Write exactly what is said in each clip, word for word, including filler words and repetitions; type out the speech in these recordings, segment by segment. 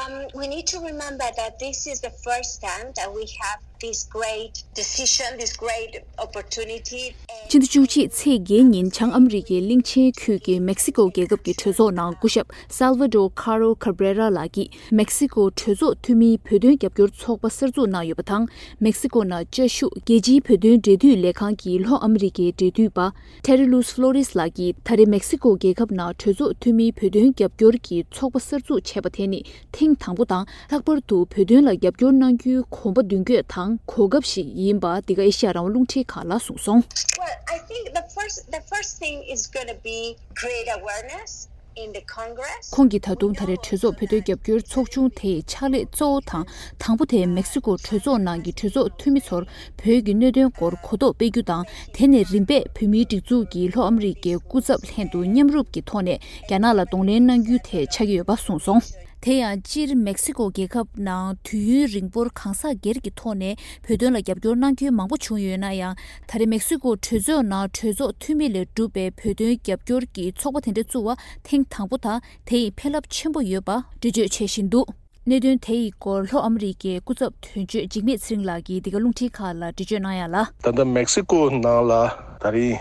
Um, we need to remember that this is the first time that we have this great decision, this great opportunity. སྤྱི་ཟླ་བཅུ་གཅིག་ཚེས་བརྒྱད་ཉིན་བྱང་ཨ་མི་རི་ཀའི་གླིང་ཆེན་ཁུལ་གྱི་མེག་སི་ཀོ་རྒྱལ་ཁབ་ཀྱི་གྲོས་ཚོགས་ནང་སྐུ་ཞབས་Salvador Caro Cabrera ལགས་ཀྱིས་མེག་སི་ཀོ་གྲོས་ཚོགས་འཐུས་མིའི་བོད་དོན་རྒྱབ་སྐྱོར་ཚོགས་པ་གསར་འཛུགས་གནང་ཡོད་པ་དང་། མེག་སི་ཀོ་ནང་བཅའ་བཞུགས་རྒྱལ་སྤྱིའི་བོད་དོན་འབྲེལ་མཐུད་ལས་ཁང་གི་ལྷོ་ཨ་མི་རི་ཀའི་འབྲེལ་མཐུད་པ། Terry Luz Flores ལགས་ཀྱིས་ད་རེས་མེག་སི་ཀོ་རྒྱལ་ཁབ་ནང་གྲོས་ཚོགས་འཐུས་མིའི་བོད་དོན་རྒྱབ་སྐྱོར་གྱི་ཚོགས་པ་གསར་འཛུགས་བྱས་པ་དེ་ནི་ཐེངས་དང་པོ་དང་། ལྷག་པར་དུ་བོད་དོན་ལ་རྒྱབ་སྐྱོར་གནང་རྒྱུའི་གོམ་པ་མདུན་སྐྱོད་དང་གོ་སྐབས་ཤིག་ཡིན་པ་འདི་ག་ཨེ་ཤ་ཡ་རང་དབང་རླུང་འཕྲིན་ཁང་ལ་གསུངས་སོང་། Well, I think the first, the first thing is gonna be create awareness in the Congress. ཁོང་གིས་ད་དུང་ད་རེས་གྲོས་ཚོགས་བོད་དོན་རྒྱབ་སྐྱོར་ཚོགས་ཆུང་དེ་ཡི་ཕྱག་ལས་གཙོ་བོ་དང་དང་པོ་དེ་མེག་སི་ཀོ་གྲོས་ཚོགས་ནང་གི་གྲོས་ཚོགས་འཐུས་མི་ཚོར་བོད་ཀྱི་གནད་དོན་སྐོར་གོ་རྟོགས་སྤེལ་རྒྱུ་དང་། དེ་ནས་རིམ་པས་བོད་མིའི་སྒྲིག་འཛུགས་ཀྱི་ལྷོ་ཨ་མི་རི་ཀའི་སྐུ་ཚབ་ལྷན་དུ་མཉམ་རུབ་ཀྱི་ཐོག་ནས་རྒྱ་ནག་ལ་གདོང་ལེན་གནང་རྒྱུའི་ཐད་ཆགས་ཀྱི་ཡོད་པ་གསུངས་སོང་། དེ་ཡང་སྤྱིར་མེག་སི་ཀོ་རྒྱལ་ཁབ་ནང་དུས་ཡུན་རིང་པོར་གང་ཟག་སྒེར་གྱི་ཐོག་ནས་བོད་དོན་ལ་རྒྱབ་སྐྱོར་གནང་མཁན་མང་པོ་བྱུང་ཡོད་ན་ཡང་། ད་རེས་མེག་སི་ཀོ་གྲོས་ཚོགས་ནང་གྲོས་ཚོགས་འཐུས་མི་ལས་གྲུབ་པའི་བོད་དོན་རྒྱབ་སྐྱོར་གྱི་ཚོགས་པ་དེ་འདྲ་བཙུགས་པ་ཐེངས་དང་པོ་དང་། དེ་ཡི་ཕན་རླབས་ཆེན་པོ་ཡོད་པ་འགྲེལ་བརྗོད་བྱེད་བཞིན་འདུག། གནད་དོན་དེ་ཡི་སྐོར་ལྷོ་ཨ་མི་རི་ཀའི་སྐུ་ཚབ་དོན་གཅོད་འཇིགས་མེད་ཚེ་རིང་ལགས་ཀྱིས་འདི་ག་རླུང་འཕྲིན་ཁང་ལ་འགྲེལ་བརྗོད་གནང་ཡ་ལ། ད་ལྟ་མེག་སི་ཀོ་ནང་ལ་ད་རེས་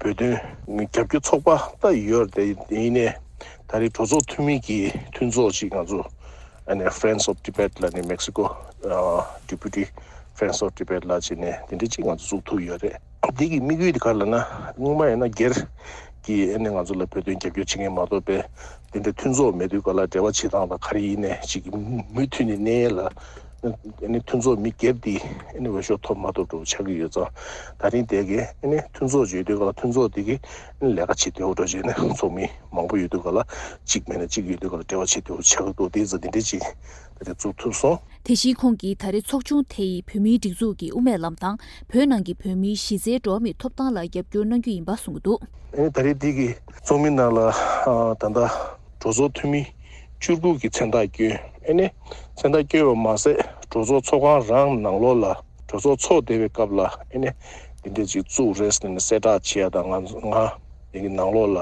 བོད་དོན་རྒྱབ་སྐྱོར་ཚོགས་པ་ད་ཡོད་རེད། དེ་ཡིན་ནའི་ད་རེས་གྲོས་ཚོགས་འཐུས་མི་གི་མཐུན་ཚོགས་ཅིག་ང་ཚོ་ཨ་ནི་Friends of Tibet ལ་ནི་མེག་སི་ཀོ་Deputy Friends of Tibet ལ་བྱས་ནས་དེ་འདྲ་ཅིག་ང་ཚོ་བཙུགས་ཐུབ་ཡོད་རེད། འདི་གི་དམིགས་ཡུལ་དེ་ག་རེ་ལབ་ན། སྔོན་མ་ཡིན་ན་སྒེར་གྱི་ཨ་ནི་ང་ཚོ་ལ་བོད་དོན་རྒྱབ་སྐྱོར་བྱེད་མཁན་མ་གཏོགས་པའི་དེ་འདྲ་མཐུན་ཚོགས་མེད་དུས་ག་ལ་འབྲེལ་བ་བྱེད་སྟངས་དང་ག་རེ་ཡིན་ནའི་ཅིག་མུ་མཐུད་ནས་གནས་ཡས་ལ་ཨ་ནི་མཐུན་ཚོགས་མི་སྒེར་འདི་ཨ་ནི་འོས་ཤོག་ཐོབ་མ་ཐོབ་འདྲ་པོ་ཆགས་ཀྱི་ཡོད་ཙང་། ད་རིང་དེ་གའི་ཨ་ནི་མཐུན་ཚོགས་ཅིག་ཡོད་དུས་ག་ལ་མཐུན་ཚོགས་དེ་གི་ཨ་ནི་ལས་ཀ་བྱེད་བདེ་པོ་འདྲ་བྱས་ནས་ཚོགས་མི་མང་པོ་ཡོད་དུས་ག་ལ་གཅིག་མེད་ན་གཅིག་ཡོད་དུས་ག་ལ་འབྲེལ་བ་བྱེད་བདེ་པོ་ཆགས་ཀྱི་འདུག། དེ་ཙང་དེ་འདྲ་ཅིག་ད་རེས་བཙུགས་ཐུབ་སོང་། དེ་བཞིན་ཁོང་གིས་ད་རེས་ཚོགས་ཆུང་དེ་ཡིས་བོད་མིའི་སྒྲིག་འཛུགས་ཀྱི་དབུ་མའི་ལམ་དང་། བོད་ནང་གི་བོད་མིའི་གཞི་རྩའི་འགྲོ་བ་མིའི་ཐོབ་ཐང་ལ་རྒྱབ་སྐྱོར་གནང་རྒྱུ་ཡིན་པ་གསུངས་འདུག། ཨ་ནི་ད་རེས་འདི་གི་ཚོགས་མི་ནང་ལ་ཨ་ད་ལྟ་གྲོས་ཚོགས་འཐུས་མི་བཅུ་དགུ་གི་མཚན་རྟགས་བསྐྱོན། ཨ་ནི་མཚན་རྟགས་བསྐྱོན་པ་མ་ཟད་གྲོས་ཚོགས་ཚོགས་ཁང་རང་ནང་ལོགས་ལ་གྲོས་ཚོགས་ཚོགས་བསྡད་པའི་སྐབས་ལ་ཨ་ནི་འདི་འདྲ་ཅིག་བཙུགས་རེད་ཟེར་ནས་གསལ་བསྒྲགས་བྱེད་ཡ་དང་། ང་ང་དེ་གི་ནང་ལོགས་ལ་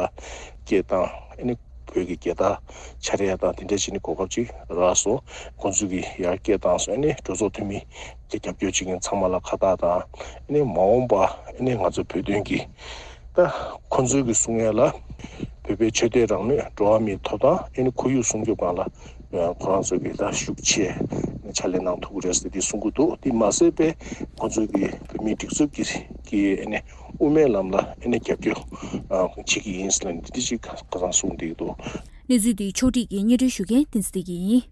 སྐད་བཏང་། ཨ་ནི་བོད་ཀྱི་རྒྱལ་དར་འཕྱར་ཡ་དང་དེ་འདྲ་བྱས་ནས་གོ་སྐབས་ཅིག་རག་སོང་། ཁོང་ཚོས་ཀྱི་ཡར་སྐད་བཏང་སོང་། ཨ་ནི་གྲོས་ཚོགས་འཐུས་མི་གི་རྒྱབ་སྐྱོར་བྱེད་མཁན་ཚང་མ་ལ་ཁ་བཏགས་དང་། ཨ་ནི་མ་འོངས་པ་ཨ་ནི་ང་ཚོ་བོད་དོན་གྱི་ད་ཁོང་ཚོས་ཀྱི་གསུང་ཡ་ལ་བོད་པའི་ཆོས་དད་རང་མོས། འགྲོ་བ་མིའི་ཐོབ་ཐང་། ཨ་ནི་ཁོར་ཡུག་སྲུང་སྐྱོབ་སྒང་ལ་ཁོ་རང་ཚོས་ཀྱི་ད་ཤུགས་ཆེ་ཕྱག་ལས་གནང་ཐུབ་ཀྱི་རེད་ཟེར་དེ་གསུང་གི་འདུག། དེ་མ་ཟད་པའི་ཁོང་ཚོས་ཀྱི་བོད་མིའི་སྒྲིག་འཛུགས་ཀྱི་ཀྱི་ཨ་ནི་དབུ་མའི་ལམ་ལ་ཨ་ནི་རྒྱབ་སྐྱོར་ཨ་བྱེད་ཀྱི་ཡིན་ཟེར་ནས་འདི་འདྲ་ཅིག་ཁ་སང་གསུངས་བསྡད་ཀྱི་འདུག། གནས་ཚུལ་འདི་ཕྱོགས་སྒྲིག་གིས་སྙན་སྒྲོན་ཞུ་མཁན་བསྟན་འཛིན་བདེ་སྐྱིད་ཡིན།